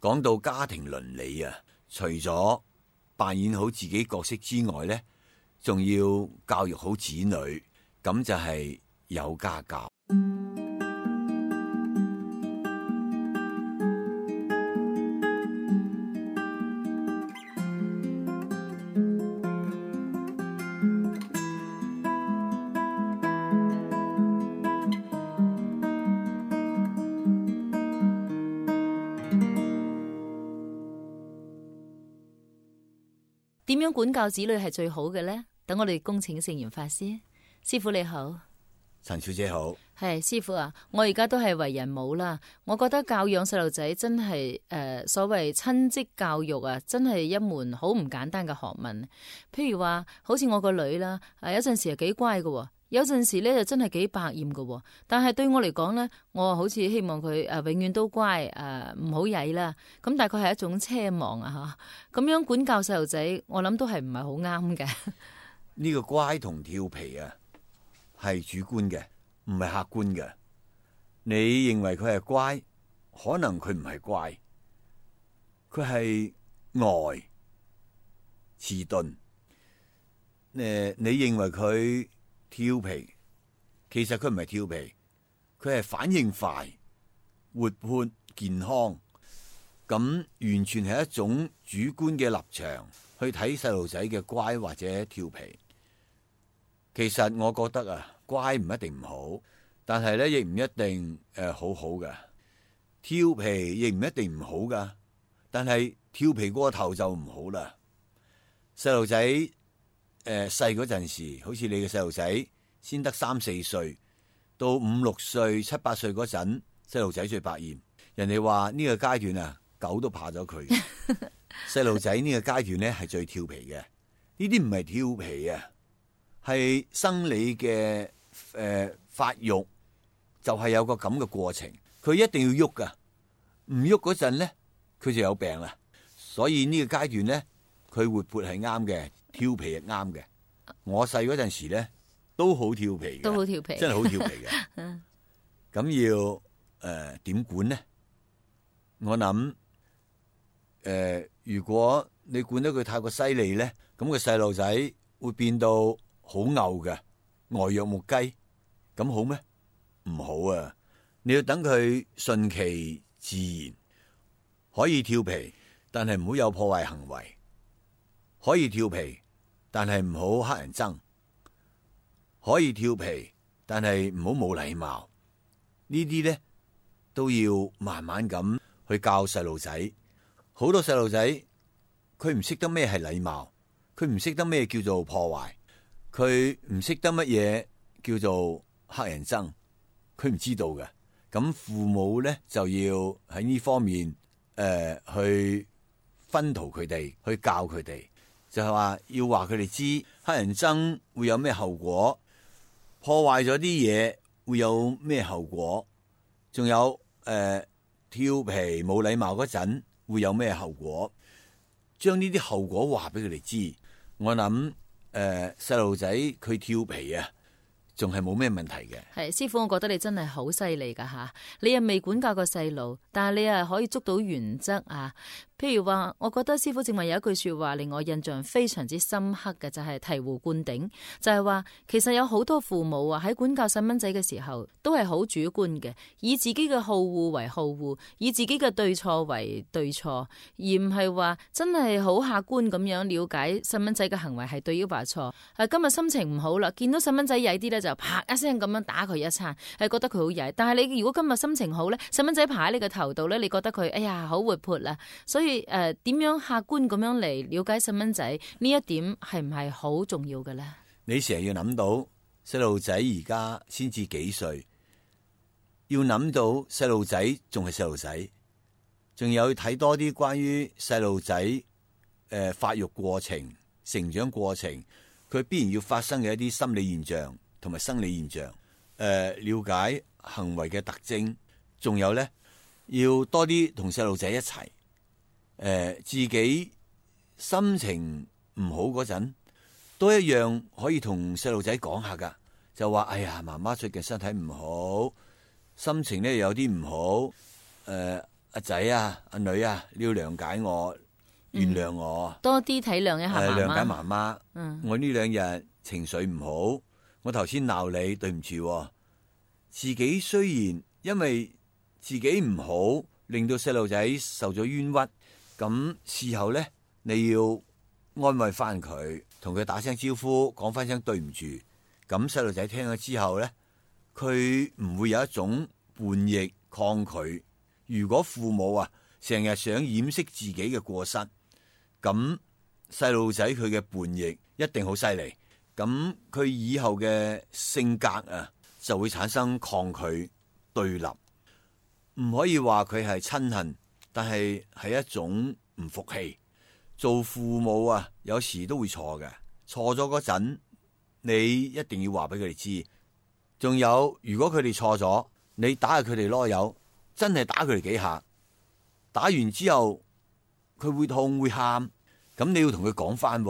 講到家庭倫理啊，除咗扮演好自己角色之外呢，仲要教育好子女，咁就係有家教。點樣管教子女係最好嘅呢？等我哋恭請聖嚴法師。師父你好。陳小姐好。係師父啊，我而家都係為人母啦，我覺得教養細路仔真係所謂親職教育啊，真係一門好唔簡單嘅學問。譬如話好似我個女啦，有陣時係幾乖嘅，有陣時咧就真係幾百厭嘅。但係對我嚟講咧，我好似希望佢永遠都乖，唔好曳啦。咁大概係一種奢望啊吓，咁樣管教細路仔，我諗都係唔係好啱嘅。呢個乖同調皮啊，係主觀嘅，唔係客觀嘅。你認為佢係乖，可能佢唔係乖，佢係呆遲鈍。你認為佢調皮，其實佢唔係調皮，佢係反應快、活潑、健康。咁完全係一種主觀嘅立場去睇細路仔嘅乖或者調皮。其實我覺得啊，乖唔一定唔好，但係咧亦唔一定好好嘅。調皮亦唔一定唔好噶，但係調皮過頭就唔好啦。細路仔細嗰陣時，好似你嘅細路仔先得3、4歲，到5、6歲、7、8歲嗰陣，細路仔最百厭。人哋話呢個階段啊，狗都怕咗佢。細路仔呢個階段咧係最調皮嘅，呢啲唔係調皮啊，係生理嘅發育，就係有個咁嘅過程。佢一定要喐噶，唔喐嗰陣咧，佢就有病啦。所以呢個階段咧，佢活潑係啱嘅，調皮係啱嘅。我細嗰陣時咧，都好調皮嘅，都好調皮，真係好調皮嘅。咁要點管呢？我諗如果你管得佢太過犀利咧，咁個細路仔會變到好牛嘅，呆若木雞，咁好咩？唔好啊！你要等佢順其自然，可以調皮，但係唔好有破壞行為；可以調皮，但係唔好乞人憎；可以調皮，但係唔好冇禮貌。呢啲咧都要慢慢咁去教細路仔。好多細路仔佢唔識得咩係禮貌，佢唔識得咩叫做破壞，佢唔識得乜嘢叫做乞人憎，佢唔知道嘅。咁父母咧就要喺呢方面去熏陶佢哋，去教佢哋，就係話要話佢哋知乞人憎會有咩後果，破壞咗啲嘢會有咩後果，仲有調皮冇禮貌嗰陣會有咩後果，將呢啲後果話俾佢哋知。我諗細路仔佢調皮啊，仲係冇咩問題嘅。係師父，我覺得你真係好犀利噶吓，你又未管教個細路，但係你又可以捉到原則啊。譬如話，我覺得師父正話有一句說話令我印象非常之深刻嘅，就係醍醐灌頂，就係話其實有好多父母啊喺管教細蚊仔嘅時候都係好主觀嘅，以自己嘅好惡為好惡，以自己嘅對錯為對錯，而唔係話真係好客觀咁樣了解細蚊仔嘅行為係對抑或錯。今日心情唔好啦，見到細蚊仔曳啲咧就啪一聲咁樣打佢一餐，係覺得佢好曳。但係你如果今日心情好咧，細蚊仔爬喺你嘅頭度咧，你覺得佢哎呀好活潑啦。所以點樣客觀咁樣嚟了解細蚊仔呢一點係唔係好重要嘅咧？你成日要諗到細路仔而家先至幾歲，要諗到細路仔仲係細路仔，仲有睇多啲關於細路仔發育過程、成長過程，佢必然要發生嘅一啲心理現象同埋生理現象，了解行為嘅特徵，仲有咧要多啲同細路仔一齊。自己心情唔好嗰陣，都一樣可以同細路仔講下噶，就話哎呀，媽媽最近身體唔好，心情咧有啲唔好，阿仔啊，阿女啊，你要諒解我，原諒我，多啲體諒一下媽媽。諒解媽媽。嗯，我呢2日情緒唔好，我頭先鬧你，對唔住。自己雖然因為自己唔好，令到細路仔受咗冤屈，咁事後呢，你要安慰翻佢，同佢打聲招呼，講翻聲對唔住。咁細路仔聽咗之後呢，佢唔會有一種叛逆抗拒。如果父母啊成日想掩飾自己嘅過失，咁細路仔佢嘅叛逆一定好犀利。咁佢以後嘅性格啊就會產生抗拒對立。唔可以話佢係親恨，但係係一種唔服氣。做父母啊，有時都會錯嘅。錯咗嗰陣，你一定要話俾佢哋知。仲有，如果佢哋錯咗，你打下佢哋囉柚，真係打佢哋幾下。打完之後，佢會痛會喊，咁你要同佢講翻。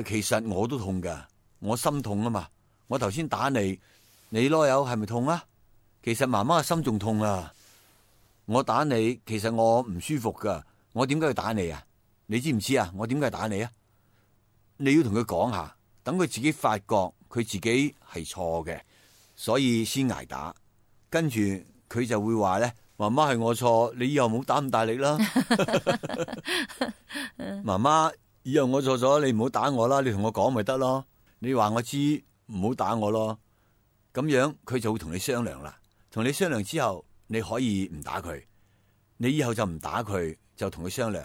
其實我都痛噶，我心痛啊嘛。我頭先打你，你囉柚係咪痛啊？其實媽媽嘅心仲痛啊。我打你，其實我唔舒服噶。我點解要打你啊？你知唔知啊？我點解打你啊？你要同佢講下，等佢自己發覺佢自己係錯嘅，所以先挨打。跟住佢就會話咧，媽媽係我錯，你以後唔好打咁大力啦。媽媽，以後我錯咗，你唔好打我啦，你同我講咪得咯。你話我知，唔好打我咯。咁樣佢就會同你商量啦。同你商量之後，你可以唔打佢，你以後就唔打佢，就同佢商量。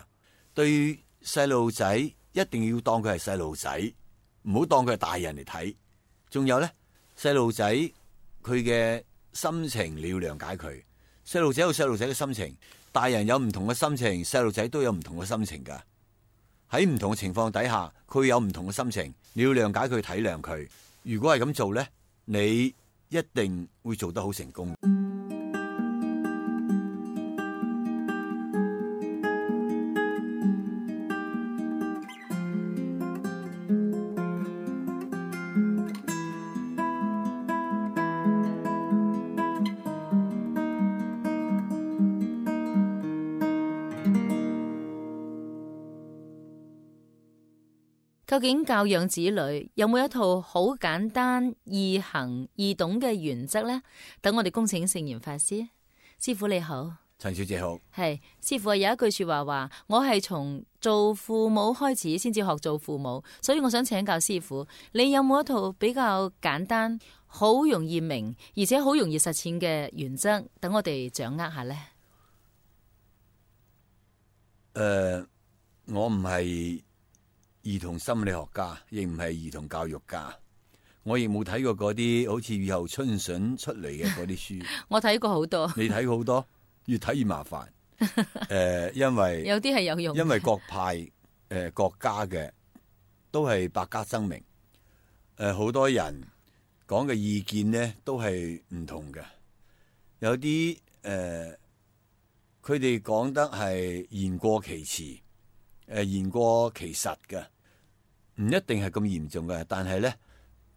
對細路仔一定要當佢係細路仔，唔好當佢係大人嚟睇。仲有咧，細路仔佢嘅心情你要諒解佢。細路仔有細路仔嘅心情，大人有唔同嘅心情，細路仔都有唔同嘅心情噶。喺唔同嘅情況底下，佢有唔同嘅心情，你要諒解佢，體諒佢。如果係咁做咧，你一定會做得好成功。究竟教養子女有冇一套好簡單、易行、易懂嘅原則呢？等我哋恭請聖嚴法師。師父你好。陳小姐好。係師父，有一句說話話，我係從做父母開始先至學做父母，所以我想請教師父，你有冇一套比較簡單、好容易明而且好容易實踐嘅原則，等我哋掌握下呢？我唔係兒童心理學家，亦唔係兒童教育家，我亦冇睇過嗰啲好似雨後春筍出嚟嘅嗰啲書。我睇過好多。你睇過好多，越睇越麻煩。因為有啲係有用，因為各派國家嘅都係百家爭鳴，好多人講嘅意見呢都係唔同嘅。有啲佢哋講得係言過其詞。言過其實嘅，唔一定係咁嚴重嘅，但係咧，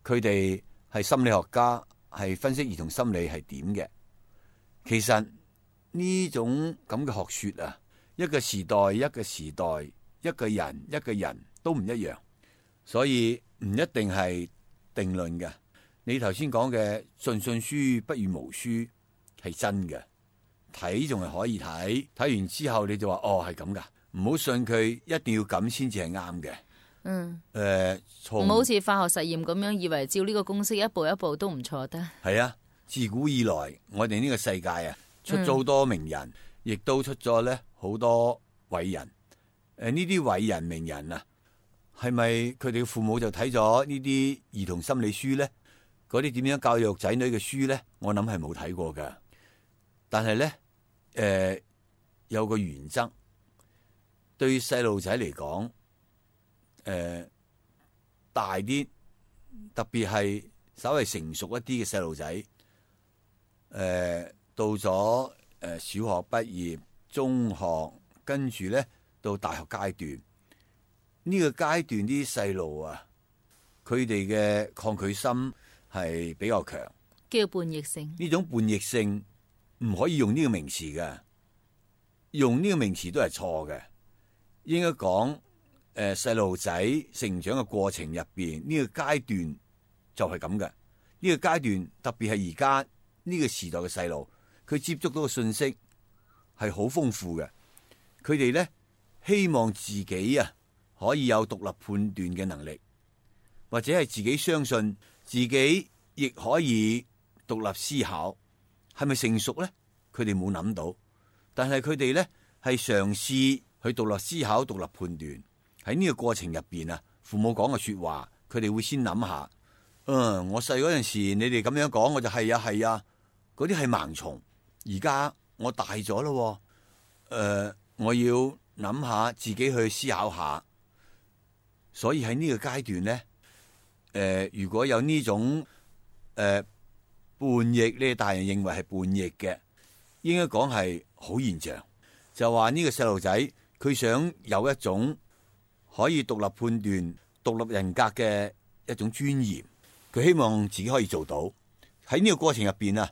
佢哋係心理學家，係分析兒童心理係點嘅。其實呢種咁嘅學說啊，一個時代一個時代，一個人一個人都唔一樣，所以唔一定係定論嘅。你頭先講嘅盡信書不如無書係真嘅，睇仲係可以睇，睇完之後你就話哦係咁噶。唔好信佢，一定要咁先至係啱嘅。唔好似化學實驗咁樣，以為照呢個公式一步一步都唔錯得。係啊，自古以來，我哋呢個世界啊，出咗好多名人，亦都出咗咧好多偉人。呢啲偉人名人啊，係咪佢哋嘅父母就睇咗呢啲兒童心理書咧？嗰啲點樣教育仔女嘅書咧？我諗係冇睇過噶。但係咧，有個原則。對細路仔嚟講，大啲，特別係稍微成熟一啲嘅細路仔，到咗小學畢業、中學，跟住咧到大學階段，呢個階段啲細路啊，佢哋嘅抗拒心係比較強，叫叛逆性。呢種叛逆性唔可以用呢個名詞㗎。用呢個名詞都係錯嘅，應該講細路仔成長嘅過程入邊呢個階段就係咁嘅。呢個階段特別係而家呢個時代嘅細路，佢接觸到嘅信息係好豐富嘅。佢哋咧希望自己可以有獨立判斷嘅能力，或者係自己相信自己亦可以獨立思考。係咪成熟咧？佢哋冇諗到，但係佢哋咧係嘗試去獨立思考、獨立判斷。喺呢個過程入邊父母講嘅說話，佢哋會先諗下。我細嗰陣時，你哋咁樣講，我就係啊，嗰啲係盲從。而家我大咗咯，我要諗下自己去思考下。所以喺呢個階段咧，如果有呢種叛逆，呢大人認為係叛逆嘅，應該講係好現象。就話呢個細路仔，佢想有一種可以獨立判斷、獨立人格嘅一種尊嚴。佢希望自己可以做到。喺呢個過程入邊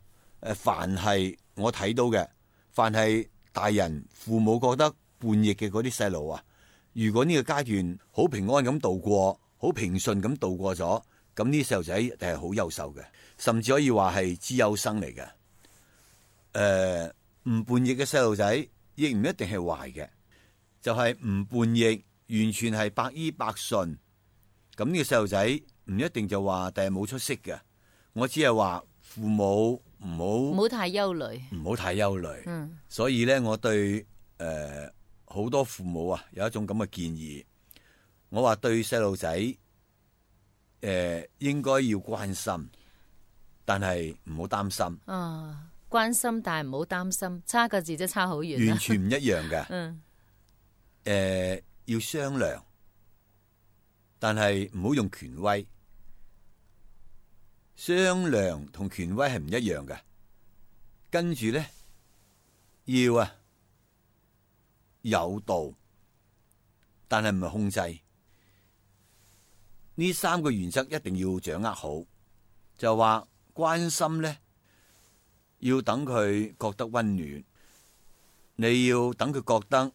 凡係我睇到嘅，凡係大人父母覺得叛逆嘅嗰啲細路如果呢個階段好平安咁度過，好平順咁度過咗，咁呢啲細路仔一定係好優秀嘅，甚至可以話係資優生嚟嘅。唔叛逆嘅細路仔亦唔一定係壞嘅，就係唔叛逆，完全係百依百順。咁呢個細路仔唔一定就話第日冇出息嘅。我只係話父母唔好太憂慮，唔好太憂慮。所以咧，我對好多父母有一種咁嘅建議。我話對細路仔應該要關心，但係唔好擔心。關心但係唔好擔心，差個字真差好遠，完全唔一樣嘅。要商量，但係唔好用權威。商量同權威係唔一樣嘅。跟住咧，要有道，但係唔係控制。呢三個原則一定要掌握好。就話關心咧，要等佢覺得溫暖，你要等佢覺得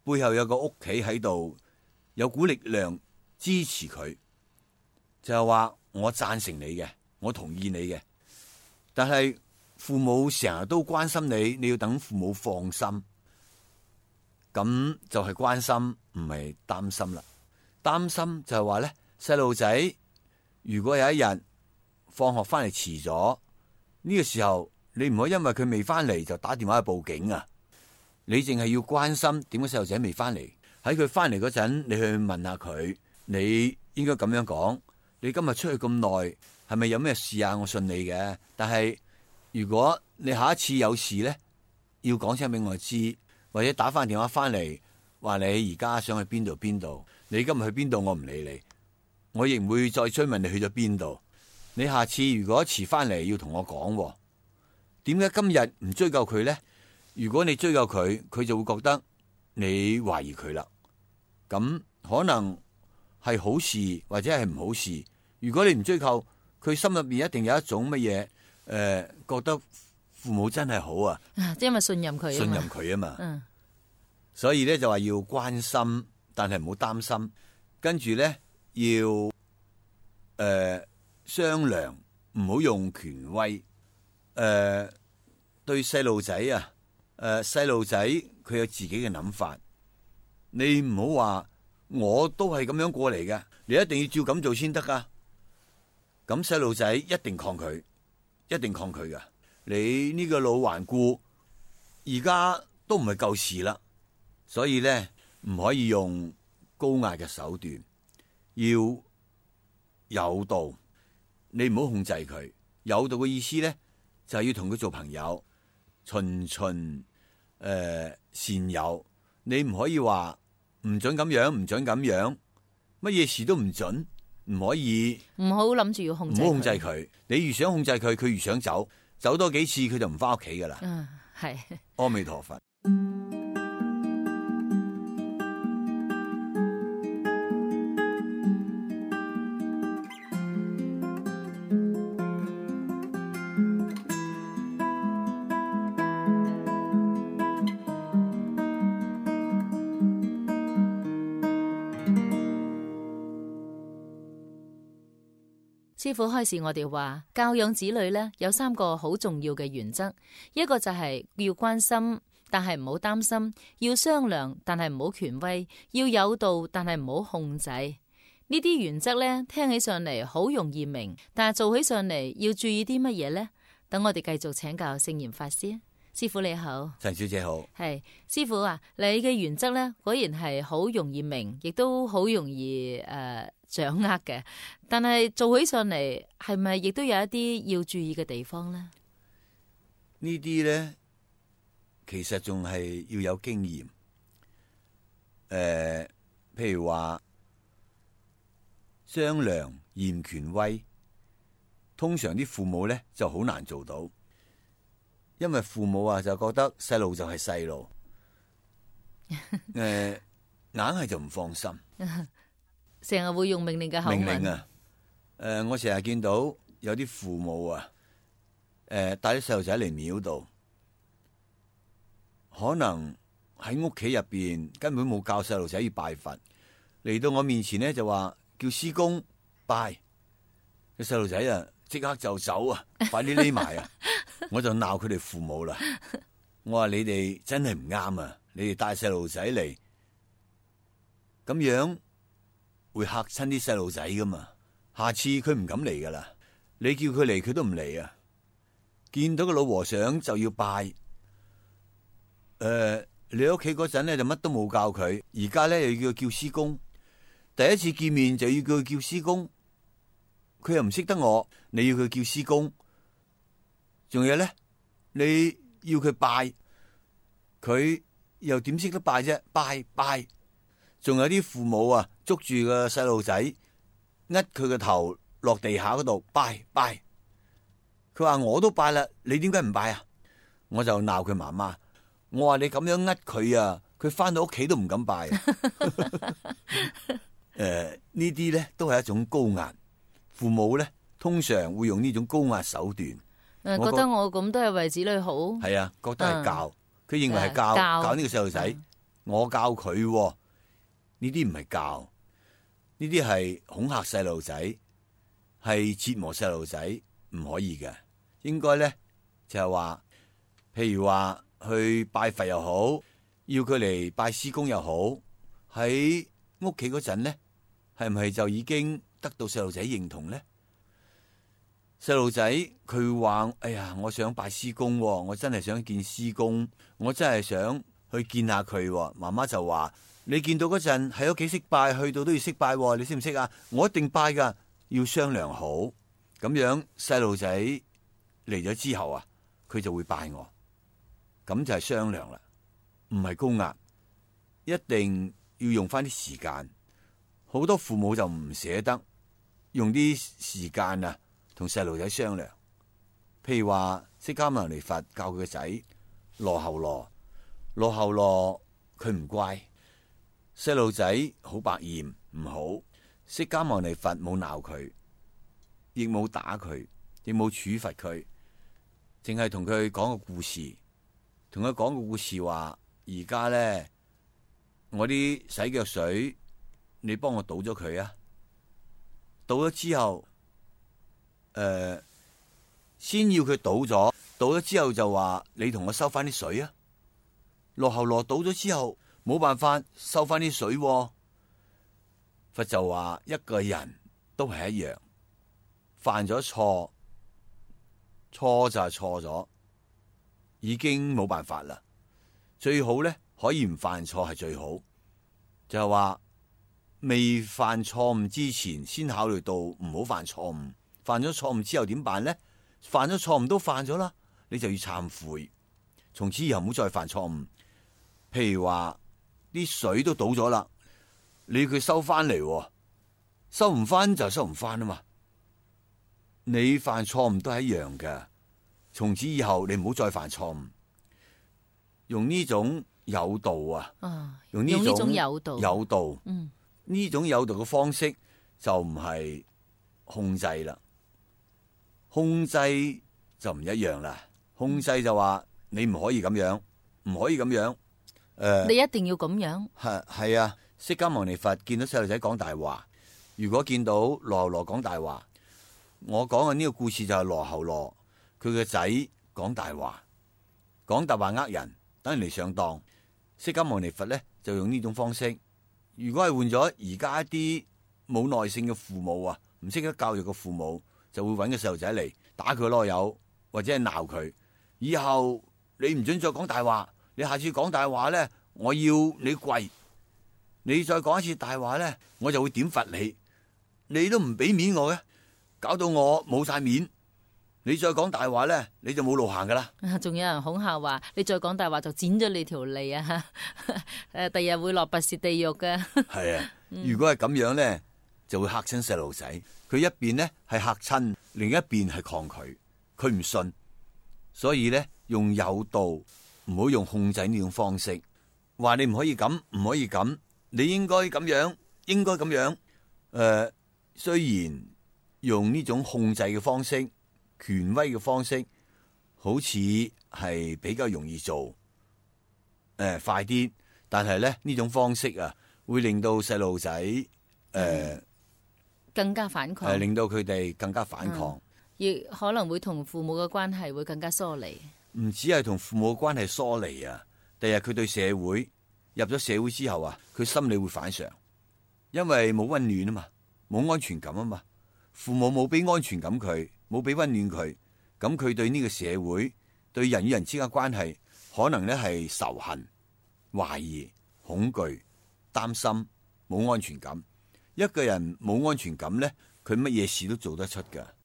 背後有個屋企喺度，有股力量支持佢。就係話我贊成你嘅，我同意你嘅。但係父母成日都關心你，你要等父母放心。咁就係關心，唔係擔心啦。擔心就係話咧，細路仔如果有一日放學翻嚟遲咗，呢個時候你唔可以因為佢未翻嚟就打電話去報警啊！你淨係要關心點解細路仔未翻嚟，喺佢翻嚟嗰陣，你去問下佢，你應該咁樣講。你今日出去咁耐，係咪有咩事啊？我信你嘅，但係如果你下一次有事咧，要講聲俾我知，或者打翻電話翻嚟，話你而家想去邊度邊度，你今日去邊度，我唔理你，我亦唔會再追問你去咗邊度。你下次如果遲翻嚟，要同我講，點解今日唔追究佢咧？如果你追究佢，佢就會覺得你懷疑佢啦。咁可能係好事或者係唔好事。如果你唔追究，佢心入面一定有一種乜嘢覺得父母真係好啊，因為信任佢，信任佢啊嘛。所以咧就話要關心，但係唔好擔心。跟住咧要商量，唔好用權威。對細路仔細路仔佢有自己嘅諗法，你唔好話我都係咁樣過嚟嘅，你一定要照咁做先得噶。咁細路仔一定抗拒，一定抗拒噶。你呢個老頑固，而家都唔係舊時啦。所以咧唔可以用高壓嘅手段，要有道。你唔好控制佢。有道嘅意思咧就係要同佢做朋友，循循善誘。你唔可以話唔准咁樣，唔准咁樣，乜嘢事都唔准，唔可以。唔好諗住要控制，唔好控制佢。你越想控制佢，佢越想走，走多幾次佢就唔翻屋企噶啦。係。阿彌陀佛。師父開示我哋話，教養子女呢，有3個好重要嘅原則，一個就係要關心，但係唔好擔心；要商量，但係唔好權威；要有道，但係唔好控制。呢啲原則呢，聽起上嚟好容易明，但係做起上嚟要注意啲乜嘢呢？等我哋繼續請教聖嚴法師。師父你好。陳小姐好。係師父啊，你嘅原則呢，果然係好容易明，亦都好容易掌握嘅。但係做起上嚟，係咪亦都有一啲要注意嘅地方呢？呢啲咧，其實仲係要有經驗。譬如話商量嚴權威，通常啲父母咧就好難做到，因為父母啊就覺得細路就係細路，硬係就唔放心。成日會用命令嘅口吻。命令啊！我成日見到有啲父母啊，帶啲細路仔嚟廟度，可能喺屋企入邊根本冇教細路仔要拜佛，嚟到我面前咧就話叫師公拜，個細路仔啊即刻就走啊，快啲匿埋啊！我就鬧佢哋父母啦，我話你哋真係唔啱啊！你哋帶細路仔嚟咁樣，會嚇親啲細路仔噶嘛？下次佢唔敢嚟噶啦。你叫佢嚟，佢都唔嚟啊！見到個老和尚就要拜。你喺屋企嗰陣咧就乜都冇教佢，而家咧又要叫師公。第一次見面就要叫佢叫師公，佢又唔識得我，你要佢叫師公。仲有咧，你要佢拜，佢又點識得拜啫？拜。仲有啲父母啊，捉住個細路仔，呃佢個頭落地下嗰度拜。佢話我都拜啦，你點解唔拜啊？我就鬧佢媽媽，我話你咁樣呃佢啊，佢翻到屋企都唔敢拜。呢啲咧都係一種高壓，父母咧通常會用呢種高壓手段。覺得我咁都係為子女好。係啊，覺得係教，佢認為係教呢個細路仔，我教佢。呢啲唔係教，呢啲係恐嚇細路仔，係折磨細路仔，唔可以嘅。應該咧就係話，譬如話去拜佛又好，要佢嚟拜師公又好，喺屋企嗰陣咧，係唔係就已經得到細路仔認同咧？細路仔佢話：哎呀，我想拜師公，我真係想見師公，我真係想去見下佢。媽媽就話：你見到嗰陣喺屋企識拜，去到都要識拜，你識唔識啊？我一定拜噶，要商量好。咁樣細路仔嚟咗之後啊，佢就會拜我。咁就係商量啦，唔係高壓，一定要用翻啲時間。好多父母就唔捨得用啲時間啊，同細路仔商量。譬如話釋迦牟尼佛教佢個仔羅睺羅，佢唔乖。細路仔好百厭，唔好。釋迦牟尼佛冇鬧佢，亦冇打佢，亦冇處罰佢，淨係同佢講個故事，同佢講個故事話：而家咧，我啲洗腳水，你幫我倒咗佢啊！倒咗之後，先要佢倒咗之後就話你同我收翻啲水啊！羅睺羅倒咗之後。冇辦法收翻啲水，佛就話一個人都係一樣，犯咗錯就係錯咗，已經冇辦法啦。最好咧可以唔犯錯係最好，就係話未犯錯誤之前先考慮到唔好犯錯誤，犯咗錯誤之後點辦咧？犯咗錯誤都犯咗啦，你就要懺悔，從此以後唔好再犯錯誤。譬如話。啲水都倒咗啦，你要佢收翻嚟，收唔翻就收唔翻啊嘛。你犯錯誤都係一樣嘅，從此以後你唔好再犯錯誤，用呢種有道啊，用呢種有道，呢種有道嘅方式就唔係控制啦，控制就唔一樣啦。控制就話你唔可以咁樣，唔可以咁樣。你一定要咁樣。係啊！釋迦牟尼佛見到細路仔講大話，如果見到羅睺羅講大話，我講嘅呢個故事就係羅睺羅佢個仔講大話呃人，等人嚟上當。釋迦牟尼佛咧就用呢種方式。如果係換咗而家一啲冇耐性嘅父母啊，唔識得教育嘅父母，就會揾個細路仔嚟打佢囉柚，或者係鬧佢。以後你唔准再講大話，你下次講大話咧，我要你跪。你再講一次大話咧，我就會點罰你。你都唔俾面我嘅，搞到我冇晒面。你再講大話咧，你就冇路行噶啦。仲有人恐嚇話，你再講大話就剪咗你條脷啊！第日會落拔舌地獄嘅。係啊，如果係咁樣咧，就會嚇親細路仔。佢一邊咧係嚇親，另一邊係抗拒，佢唔信。所以咧，用誘導，唔好用控制呢種方式。話你唔可以咁，唔可以咁，你應該咁樣，應該咁樣。雖然用呢種控制嘅方式，權威嘅方式，好似係比較容易做，快啲。但係咧呢種方式啊，會令到細路仔更加反抗，令到佢哋更加反抗，亦可能會同父母嘅關係會更加疏離。唔止係同父母嘅關係疏離啊，第日佢對社會入咗社會之後啊，佢心理會反常，因為冇溫暖啊嘛，冇安全感啊嘛，父母冇俾安全感佢，冇俾溫暖佢，咁佢對呢個社會，對人與人之間關係，可能咧係仇恨、懷疑、恐懼、擔心，冇安全感。一個人冇安全感咧，佢乜嘢事都做得出噶。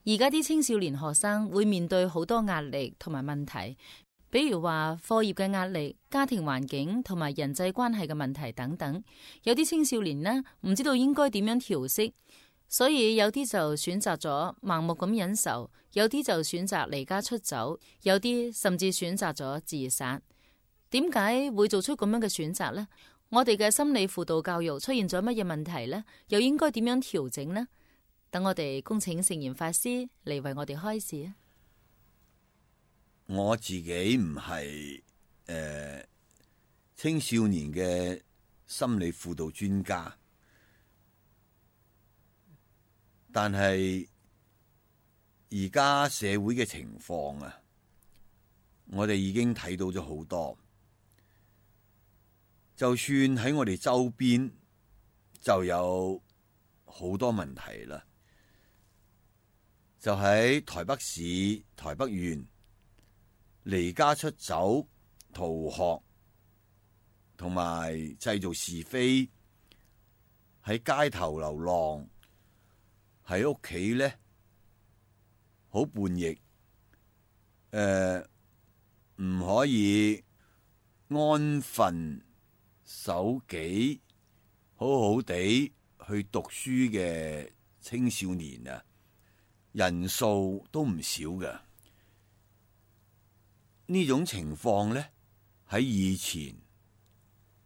而家啲青少年學生會面對好多壓力同埋問題，比如話課業嘅壓力、家庭環境同埋人際關係嘅問題等等。有啲青少年呢，唔知道應該點樣調適，所以有啲就選擇咗盲目咁忍受，有啲就選擇離家出走，有啲甚至選擇咗自殺。點解會做出咁樣嘅選擇呢？我哋嘅心理輔導教育出現咗乜嘢問題呢？又應該點樣調整呢？等我哋恭請聖嚴法師嚟為我哋開示啊！我自己唔係青少年嘅心理輔導專家，但係而家社會嘅情況啊，我哋已經睇到咗好多。就算喺我哋周邊，就有好多問題啦。就喺台北市台北縣，離家出走、逃學同埋製造是非，喺街頭流浪，喺屋企咧好叛逆，唔可以安分守己，好好地去讀書嘅青少年啊，人數都唔少嘅。呢種情況咧喺以前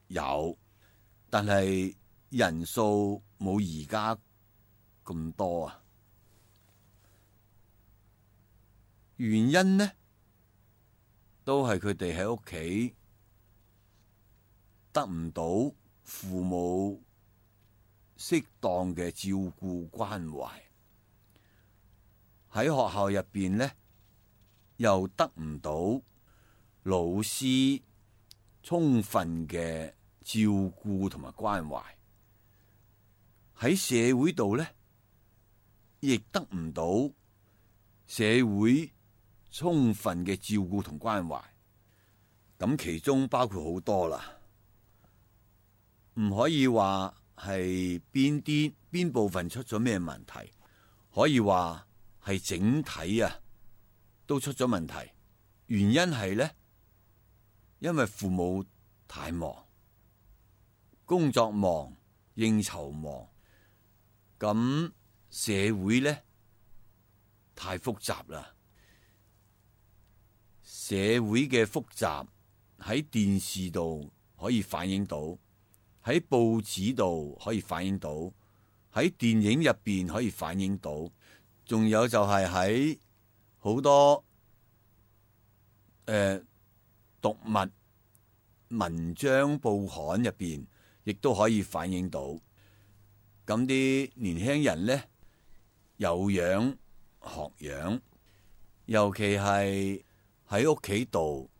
有，但係人數冇而家咁多啊。原因呢，都係佢哋喺屋企得唔到父母適當嘅照顧關懷，喺學校入邊呢，又得唔到老師充分嘅照顧同埋關懷，喺社會度呢，亦得唔到社會充分嘅照顧同關懷。咁其中包括好多啦，唔可以話係邊部分出咗咩問題，可以話係整體啊都出咗問題。原因係咧，因為父母太忙，工作忙，應酬忙，咁社會咧太複雜啦。社會嘅複雜喺電視度可以反映到，喺報紙度可以反映到，喺電影入邊可以反映到，仲有就係喺好多讀物、文章、報刊入邊，亦都可以反映到。咁啲年輕人呢，有樣學樣，尤其係喺屋企度，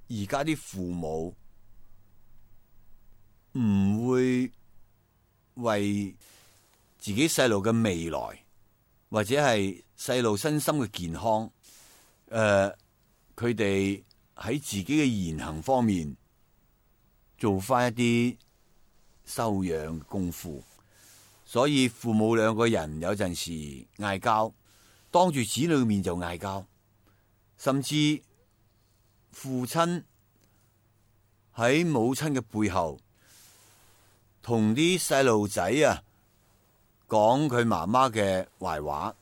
而家啲父母唔會為自己細路嘅未來，或者係細路身心嘅健康，佢哋喺自己嘅言行方面做翻一啲修養功夫。所以父母兩個人有陣時嗌交，當住子女面就嗌交，甚至父親喺母親嘅背後同啲細路仔啊講佢媽媽嘅壞話，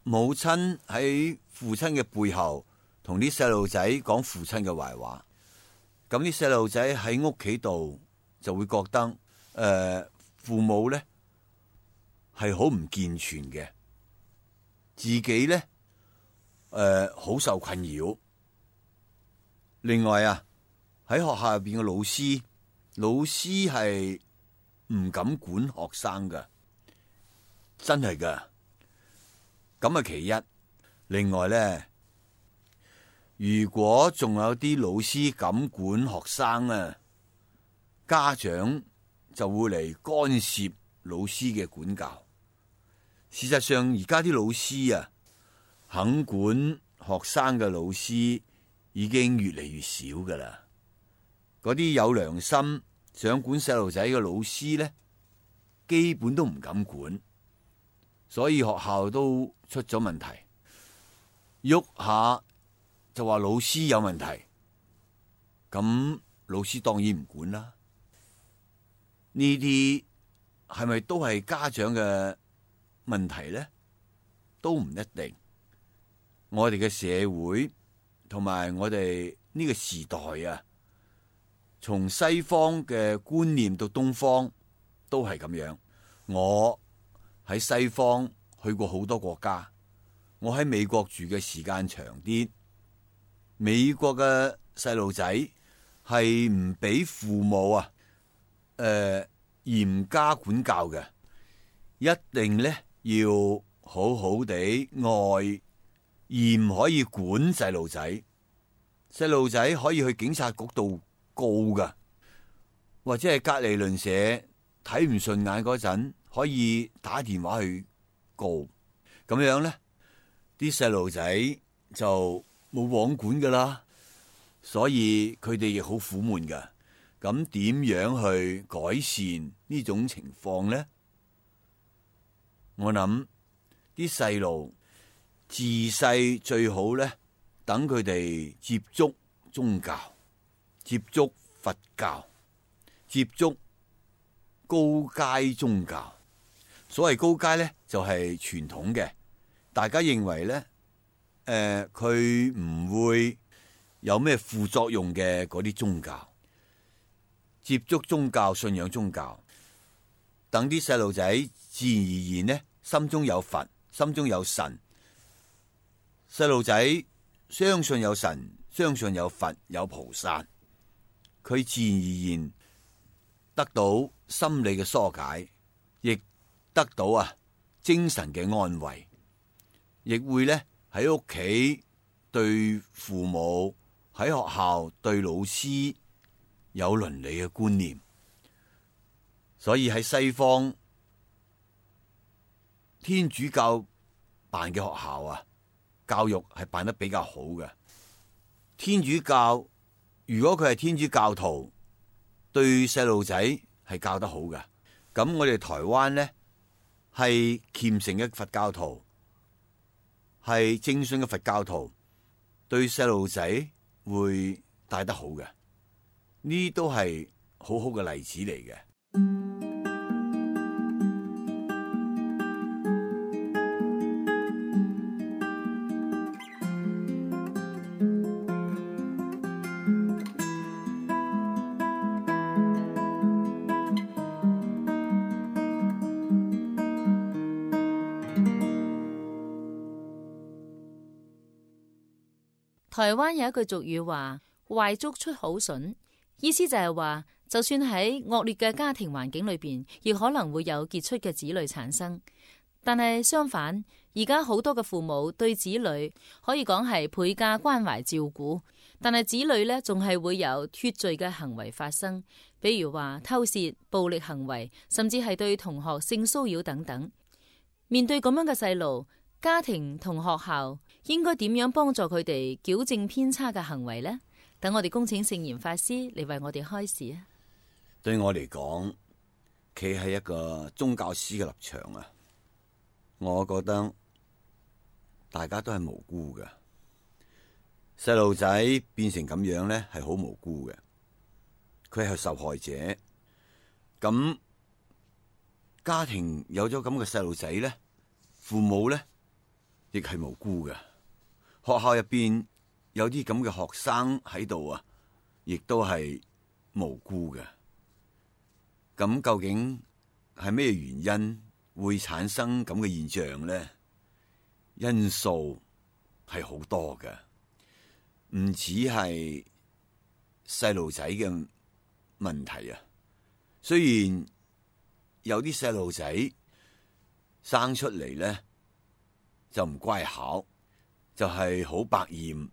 母親喺父親嘅背後同啲細路仔講父親嘅壞話。咁啲細路仔喺屋企度就會覺得父母咧係好唔健全嘅，自己咧好受困擾。另外啊，喺學校入邊嘅老師係唔敢管學生噶，真係噶。咁啊其一。另外咧，如果仲有啲老師敢管學生啊，家長就會嚟干涉老師嘅管教。事實上，而家啲老師啊，肯管學生嘅老師已經越嚟越少噶啦。嗰啲有良心想管細路仔嘅老師咧，基本都唔敢管，所以學校都出咗問題。喐下就話老師有問題，咁老師當然唔管啦。呢啲係咪都係家長嘅問題咧？都唔一定。我哋嘅社會同埋我哋呢個時代啊，從西方嘅觀念到東方都係咁樣。我喺西方去過好多國家，我喺美國住嘅時間長啲。美國嘅細路仔係唔俾父母啊嚴加管教嘅，一定咧要好好地愛，而唔可以管細路仔。細路仔可以去警察局度告噶，或者係隔離鄰舍睇唔順眼嗰陣，可以打電話去告。咁樣咧，啲細路仔就冇網管噶啦，所以佢哋亦好苦悶噶。咁點樣去改善呢種情況咧？我諗啲細路自細最好咧，等佢哋接觸宗教、接觸佛教、接觸高階宗教。所謂高階咧，就係傳統嘅，大家認為咧，佢唔會有咩副作用嘅嗰啲宗教。接觸宗教、信仰宗教，等啲細路仔自然而然呢，心中有佛，心中有神。細路仔相信有神，相信有佛，有菩薩，佢自然而然得到心理嘅疏解，亦得到精神嘅安慰，亦會咧喺屋企對父母，喺學校對老師有倫理嘅觀念。所以喺西方天主教辦嘅學校教育係辦得比較好嘅。天主教如果佢係天主教徒，對細路仔係教得好嘅。咁我哋台灣呢，係虔誠嘅佛教徒，係正信嘅佛教徒，對細路仔會帶得好嘅。呢都係好好嘅例子嚟嘅。台灣有一句俗語話：壞竹出好筍，意思就係話，就算喺惡劣嘅家庭環境裏邊，亦可能會有傑出嘅子女產生。但係相反，而家好多嘅父母對子女可以講係倍加關懷照顧，但係子女呢仲係會有脫罪嘅行為發生，比如話偷竊、暴力行為，甚至係對同學性騷擾等等。面對咁樣嘅細路，家庭同學校應該點樣幫助佢哋矯正偏差嘅行為呢？等我哋恭請聖嚴法師嚟為我哋開示啊！對我嚟講，企喺一個宗教師嘅立場啊，我覺得大家都係無辜嘅。細路仔變成咁樣咧，係好無辜嘅，佢係受害者。咁家庭有咗咁嘅細路仔咧，父母咧亦係無辜嘅。學校入邊有啲咁嘅學生喺度啊，亦都係無辜嘅。咁究竟係咩原因會產生咁嘅現象咧？因素係好多嘅，唔止係細路仔嘅問題啊。雖然有啲細路仔生出嚟咧就唔乖巧，就係好百厭，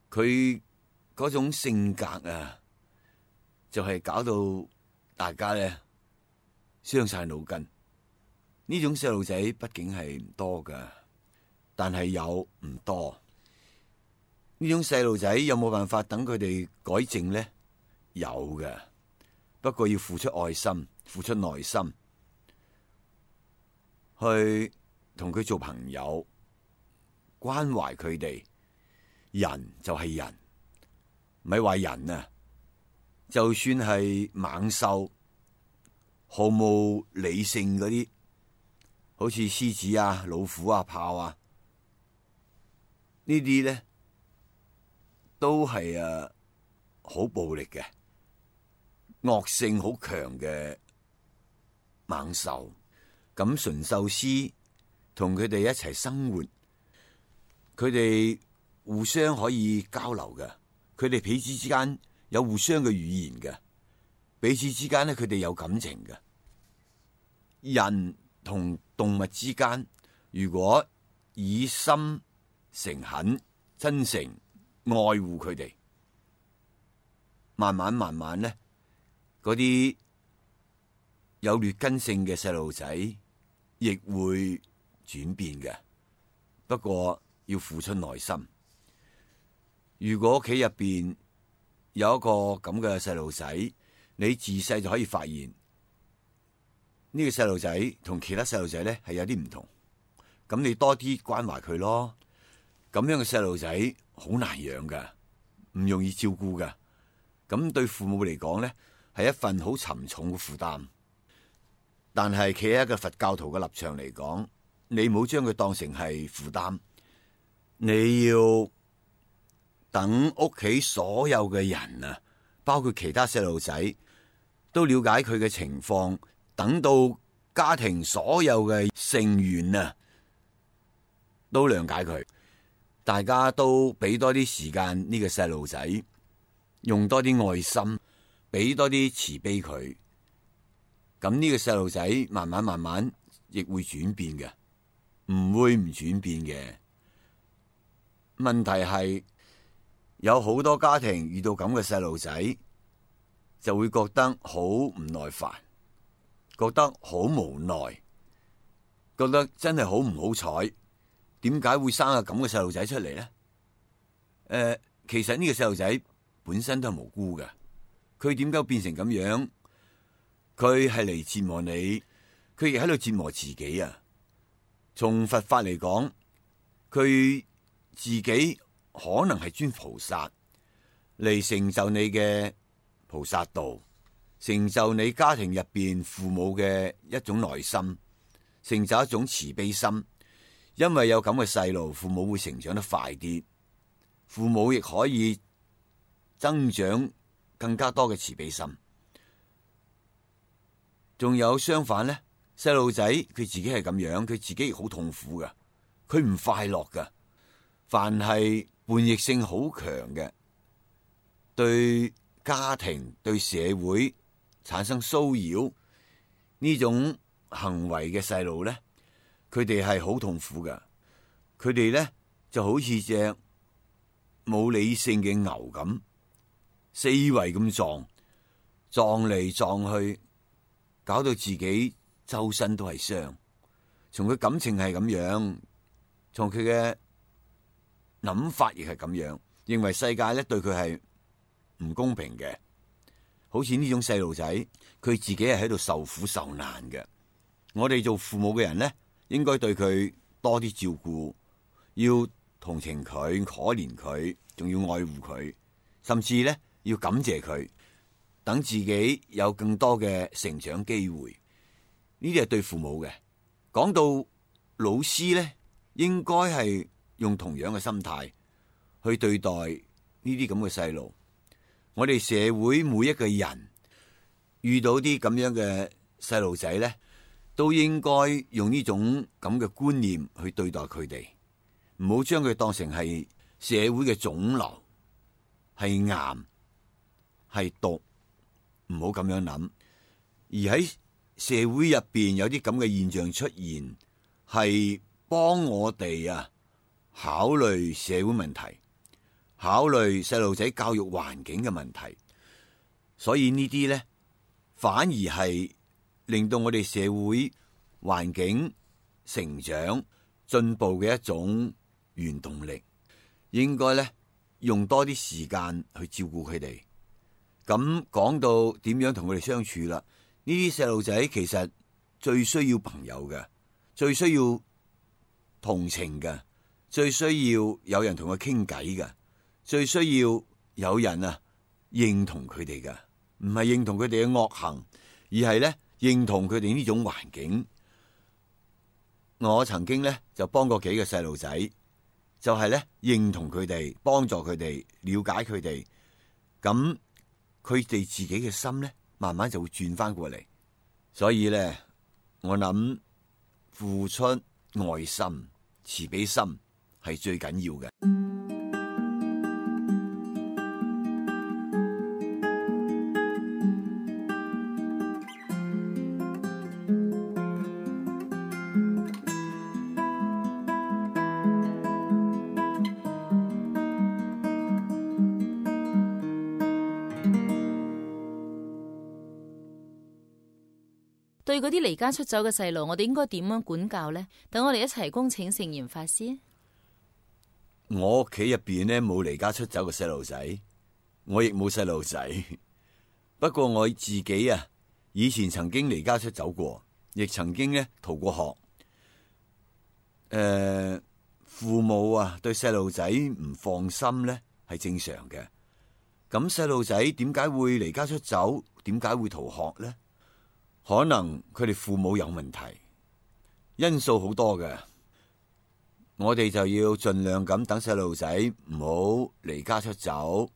佢嗰種性格啊，就係搞到大家咧傷晒腦筋。呢種細路仔畢竟係唔多噶，但係有唔多。呢種細路仔有冇辦法等佢哋改正咧？有嘅，不過要付出愛心、付出耐心，去同佢做朋友，關懷佢哋。人就係人，咪話人啊，就算係猛獸，毫無理性嗰啲，好似獅子啊、老虎啊、豹啊，呢啲咧都係好暴力嘅、惡性好強嘅猛獸。咁馴獸師同佢哋一齊生活，佢哋互相可以交流嘅，佢哋彼此之間有互相嘅語言嘅，彼此之間咧佢哋有感情嘅。人同動物之間，如果以心誠懇、真誠愛護佢哋，慢慢咧，嗰啲有劣根性嘅細路仔亦會轉變嘅。不過要付出耐心。如果屋企入邊有一個咁嘅細路仔，你自細就可以發現呢個細路仔同其他細路仔咧係有啲唔同，咁你多啲關懷佢咯。咁樣嘅細路仔好難養噶，唔容易照顧噶。咁對父母嚟講咧，係一份好沉重嘅負擔。但係企喺一個佛教徒嘅立場嚟講，你唔好將佢當成係負擔，你要等屋企所有嘅人啊，包括其他細路仔，都了解佢嘅情況，等到家庭所有嘅成員啊，都諒解佢，大家都俾多啲時間呢個細路仔，用多啲愛心，俾多啲慈悲佢，咁呢個細路仔慢慢亦會轉變嘅，唔會唔轉變嘅。問題係有好多家庭遇到咁嘅細路仔，就會覺得好唔耐煩，覺得好無奈，覺得真係好唔好彩。點解會生個咁嘅細路仔出嚟咧？其實呢個細路仔本身都係無辜嘅，佢點解變成咁樣？佢係嚟折磨你，佢亦喺度折磨自己啊！從佛法嚟講，佢自己可能係尊菩薩嚟成就你嘅菩薩道，成就你家庭入邊父母嘅一種耐心，成就一種慈悲心。因為有咁嘅細路，父母會成長得快啲，父母亦可以增長更加多嘅慈悲心。仲有相反咧，細路仔佢自己係咁樣，佢自己亦好痛苦噶，佢唔快樂噶。凡係叛逆性好強嘅，對家庭對社會產生騷擾呢種行為嘅細路咧，佢哋係好痛苦噶。佢哋咧就好似隻冇理性嘅牛咁，四圍咁撞嚟撞去，搞到自己周身都係傷。從佢感情係咁樣，從佢嘅諗法亦係咁樣，認為世界咧對佢係唔公平嘅。好似呢種細路仔，佢自己係喺度受苦受難嘅。我哋做父母嘅人咧，應該對佢多啲照顧，要同情佢、可憐佢，仲要愛護佢，甚至咧要感謝佢，等自己有更多嘅成長機會。呢啲係對父母嘅。講到老師咧，應該係用同樣嘅心態去對待呢啲咁嘅細路。我哋社會每一個人遇到啲咁樣嘅細路仔咧，都應該用呢種咁嘅觀念去對待佢哋，唔好將佢當成係社會嘅腫瘤，係癌，係毒，唔好咁樣諗。而喺社會入邊有啲咁嘅現象出現，係幫我哋考慮社會問題，考慮細路仔教育環境嘅問題。所以呢啲咧，反而係令到我哋社會環境成長進步嘅一種原動力。應該咧用多啲時間去照顧佢哋。咁講到點樣同佢哋相處啦？呢啲細路仔其實最需要朋友嘅，最需要同情嘅，最需要有人同佢傾偈嘅，最需要有人認同佢哋嘅，唔係認同佢哋嘅惡行，而係咧認同佢哋呢種環境。我曾經咧就幫過幾個細路仔，就係咧認同佢哋，幫助佢哋，了解佢哋，咁佢哋自己嘅心咧，慢慢就會轉翻過嚟。所以咧，我諗付出愛心、慈悲心係最緊要嘅。對嗰啲離家出走嘅細路，我哋應該點樣管教呢？等我哋一齊恭請聖嚴法師。我屋企入邊咧冇離家出走嘅細路仔，我亦冇細路仔。不過我自己以前曾經離家出走過，亦曾經咧逃過學。父母對細路仔唔放心咧係正常嘅。咁細路仔點解會離家出走？點解會逃學呢？可能佢哋父母有問題，因素好多嘅。我哋就要盡量咁等細路仔唔好離家出走。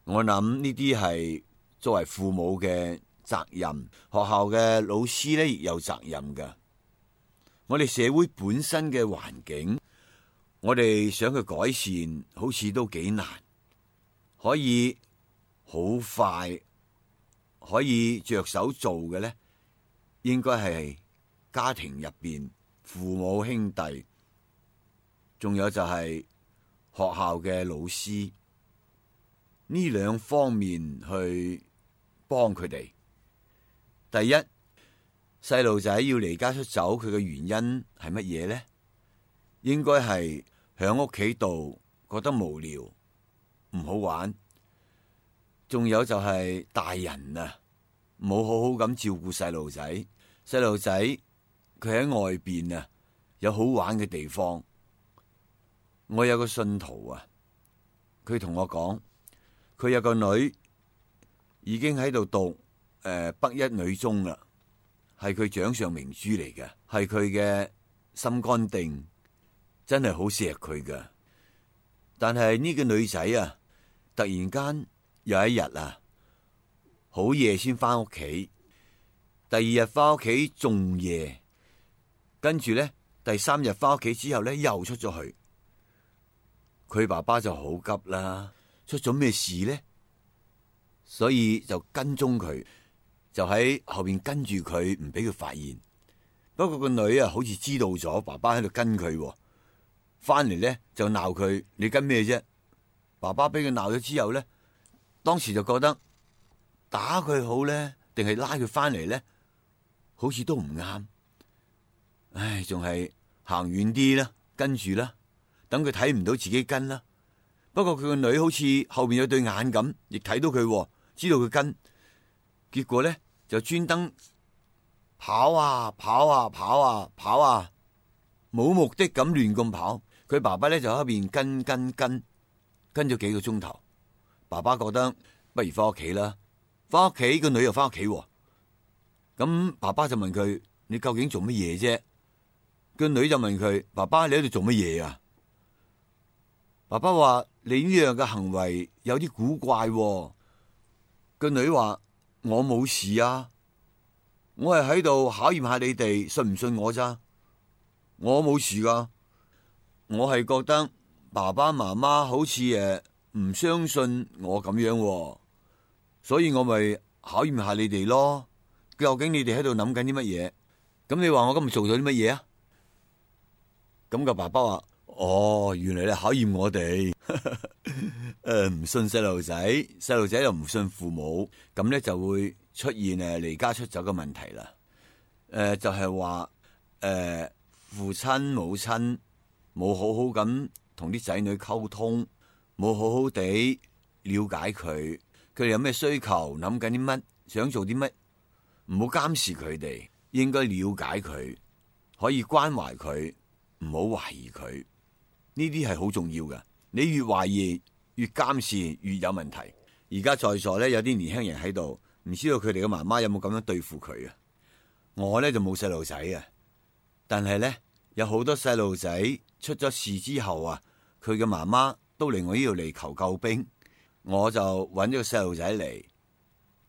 我諗呢啲係作為父母嘅責任，學校嘅老師咧亦有責任嘅。我哋社會本身嘅環境，我哋想去改善，好似都幾難。可以好快可以着手做嘅咧，應該係家庭入邊父母兄弟，仲有就係學校嘅老師，呢兩方面去幫佢哋。第一，細路仔要離家出走，佢嘅原因係乜嘢呢？應該係響屋企度覺得無聊，唔好玩。仲有就係大人冇好好咁照顧細路仔。細路仔佢喺外邊有好玩嘅地方。我有個信徒佢同我講，佢有個女已經喺度讀北一女中啦，係佢掌上明珠嚟嘅，係佢嘅心肝定，真係好錫佢噶。但係呢個女仔突然間有一日好夜先翻屋企。第二日翻屋企仲夜，跟住咧第三日翻屋企之後咧又出咗去。佢爸爸就好急啦，出咗咩事呢？所以就跟蹤佢，就喺後邊跟住佢，唔俾佢發現。不過個女啊，好似知道咗爸爸喺度跟佢，翻嚟咧就鬧佢：你跟咩啫？爸爸俾佢鬧咗之後咧，當時就覺得打佢好咧，定係拉佢翻嚟咧，好似都唔啱。唉，仲係行遠啲啦，跟住啦，等佢睇唔到自己跟啦。不過佢個女好似後邊有對眼咁，亦睇到佢，知道佢跟。結果咧就專登跑啊跑啊跑啊跑啊，冇目的咁亂咁跑。佢爸爸咧就喺邊跟咗幾個鐘頭。爸爸覺得不如翻屋企啦，翻屋企個女又翻屋企。咁爸爸就問佢：你究竟做乜嘢啫？個女就問佢：爸爸，你喺度做乜嘢啊？爸爸話：你呢樣嘅行為有啲古怪。個女話：我冇事啊，我係喺度考驗下你哋信唔信我咋？我冇事噶，我係覺得爸爸媽媽好似唔相信我咁樣，所以我咪考驗下你哋咯。究竟你哋喺度諗緊啲乜嘢？咁你話我今日做咗啲乜嘢啊？咁個爸爸話：哦，原來你考驗我哋，唔信細路仔，細路仔又唔信父母，咁咧就會出現離家出走嘅問題啦。就係話父親母親冇好好咁同啲仔女溝通，冇好好地了解佢哋有咩需求，諗緊啲乜，想做啲乜，唔好監視佢哋，應該了解佢，可以關懷佢，唔好懷疑佢。呢啲係好重要嘅。你越懷疑越監視越有問題。而家在座咧有啲年輕人喺度，唔知道佢哋嘅媽媽有冇咁樣對付佢啊？我咧就冇細路仔啊，但係咧有好多細路仔出咗事之後啊，佢嘅媽媽都嚟我呢度嚟求救兵。我就揾咗個細路仔嚟，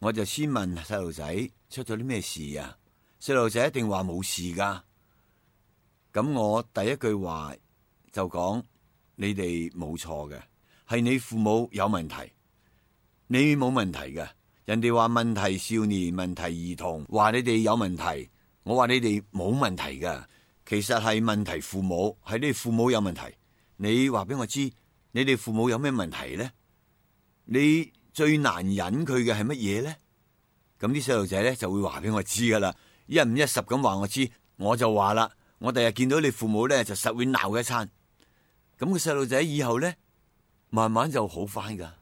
我就先問細路仔出咗啲咩事啊？細路仔一定話冇事噶。咁我第一句話就講：你哋冇錯嘅，係你父母有問題，你冇問題嘅。人哋話問題少年、問題兒童，話你哋有問題，我話你哋冇問題嘅。其實係問題父母，係你哋父母有問題。你話俾我知，你哋父母有咩問題咧？你最難忍佢嘅係乜嘢咧？咁啲細路仔咧就會話俾我知噶啦，一五一十咁話我知，我就話啦，我第日見到你父母咧就實會鬧一餐。咁個細路仔以後咧，慢慢就好翻噶。